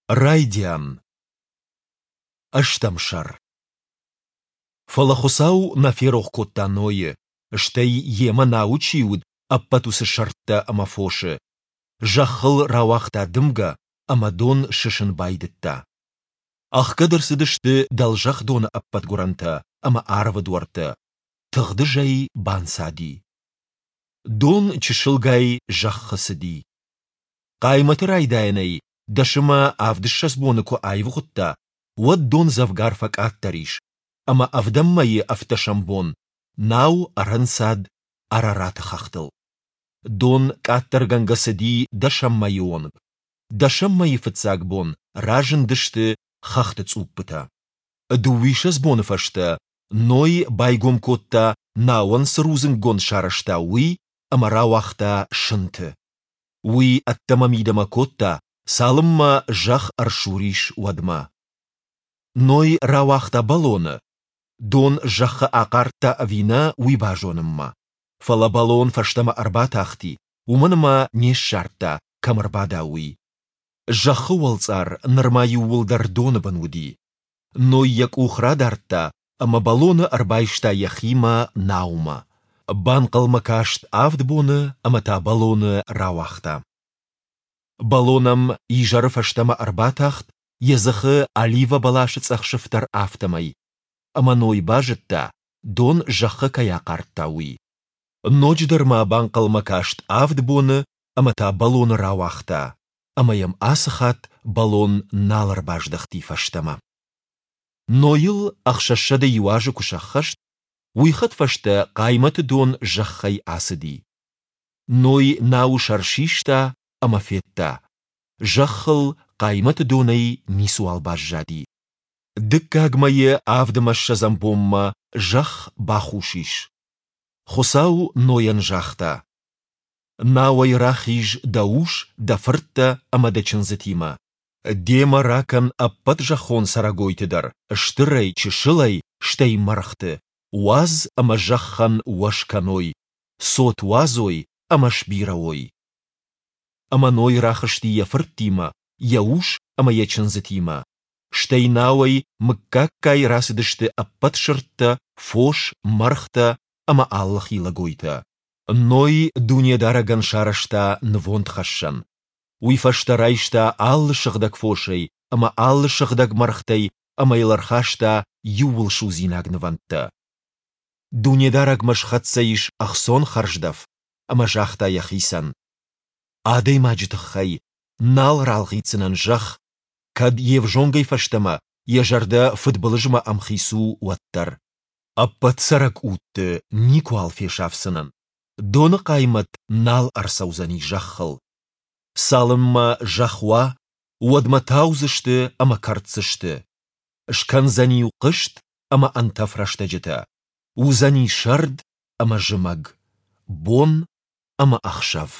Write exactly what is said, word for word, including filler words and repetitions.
Райдиан. Ӕстӕм сӕр. Фӕлӕ Хуыцау нӕ ферох кодта Нойы, стӕй йемӕ науы чи уыд, ӕппӕт уыцы сырдтӕ ӕмӕ фосы. Зӕххыл рауагъта дымгӕ, ӕмӕ дон сысын байдыдта. Ӕхгӕд ӕрцыдысты дӕлзӕхх доны ӕппӕт гуырӕнтӕ ӕмӕ арвы дуӕрттӕ. Тыгъдызӕй банцади. Дон чысылгай зӕххы цыди. Хъаймӕты райдайӕнӕй дӕс ӕмӕ авдыссӕдз боны куы аивгъуыдта, уӕд дон дзӕвгар фӕкъаддӕр ис, ӕмӕ ӕвдӕм мӕйы ӕвддӕсӕм бон нау ӕрӕнцад Арараты хӕхтыл. Дон къаддӕргӕнгӕ цыди дӕсӕм мӕйы онг. Дӕсӕм мӕйы фыццаг бон разындысты хӕхты цъуппытӕ. Дыууиссӕдз боны фӕстӕ Ной байгом кодта, науӕн цы рудзынггонд сарӕзта, уый ӕмӕ рауагъта сынты. Уый ӕддӕмӕ-мидӕмӕ кодта, цалынмӕ зӕхх ӕрсур ис, уӕдмӕ. Ной рауагъта бӕлоны, дон зӕххы ахъардта ӕви нӕ, уый базонынмӕ. Фӕлӕ бӕлон фӕстӕмӕ ӕрбатахти, уымӕн ӕмӕ не ссардта, кӕм ӕрбада, уый. Зӕххы уӕлцъар нырма иууылдӕр доны бын уыди. Ной йӕ къух радардта ӕмӕ бӕлоны ӕрбайста йӕхимӕ наумӕ. Банхъӕлмӕ каст авд боны ӕмӕ та бӕлоны рауагъта. Бӕлон ӕм изӕры фӕстӕмӕ ӕрбатахт, йӕ дзыхы оливӕ бӕласы цъӕх сыфтӕр, афтӕмӕй. Ӕмӕ Ной базыдта, дон зӕххы кӕй ахъардта, уый. Ноджыдӕр ма банхъӕлмӕ каст авд боны ӕмӕ та бӕлоны рауагъта, ӕмӕ йӕм ацы хатт бӕлон нал ӕрбаздӕхти фӕстӕмӕ. Нойыл ӕхсӕзсӕдӕ иу азы куы сӕххӕст, уый хӕдфӕстӕ хъаймӕты дон зӕххӕй ацыди. Ной науы сӕр систа ӕмӕ федта, зӕххыл хъаймӕты донӕй ницыуал баззади. Дыккаг мӕйы авд ӕмӕ ссӕдзӕм бонмӕ зӕхх бахус ис. Хуыцау Нойӕн загъта: Науӕй рахиз дӕ ус, дӕ фырттӕ ӕмӕ дӕ чындзытимӕ. Демӕ ракӕн ӕппӕт зӕххон цӕрӕгойты дӕр, стырӕй, чысылӕй, стӕй мӕргъты, уадз ӕмӕ зӕххӕн уӕз кӕной, цот уадзой ӕмӕ сбирӕ уой. Ӕмӕ Ной рахызти йӕ фырттимӕ, йӕ ус ӕмӕ йӕ чындзытимӕ. Стӕй науӕй мыггаггай рацыдысты ӕппӕт сырдтӕ, фос, мӕргътӕ ӕмӕ алы хилӕгойтӕ. Ной Дунедарӕгӕн сарӕзта нывондхӕссӕн. Уый фӕстӕ райста алы сыгъдӕг фосӕй ӕмӕ алы сыгъдӕг мӕргътӕй ӕмӕ йыл ӕрхаста иууылсудзинаг нывӕндтӕ. Дунедарӕгмӕ схӕццӕ ис ӕхцон хӕрздӕф, ӕмӕ загъта йӕхицӕн: Адӕймаджы тыххӕй нал ралгъитдзынӕн зӕхх, кӕд йе взонгӕй фӕстӕмӕ йӕ зӕрдӕ фыдбылызмӕ ӕмхиц у, уӕддӕр. Ӕппӕт цӕрӕг удты никуал фесафдзынӕн, доны хъаймӕт нал ӕрцӕудзӕни зӕххыл. Цалынмӕ зӕхх уа, уӕдмӕ таудзысты ӕмӕ кӕрддзысты. Скӕндзӕни-иу хъызт ӕмӕ ӕнтӕф рӕстӕджытӕ, уыдзӕни сӕрд ӕмӕ зымӕг, бон ӕмӕ ӕхсӕв.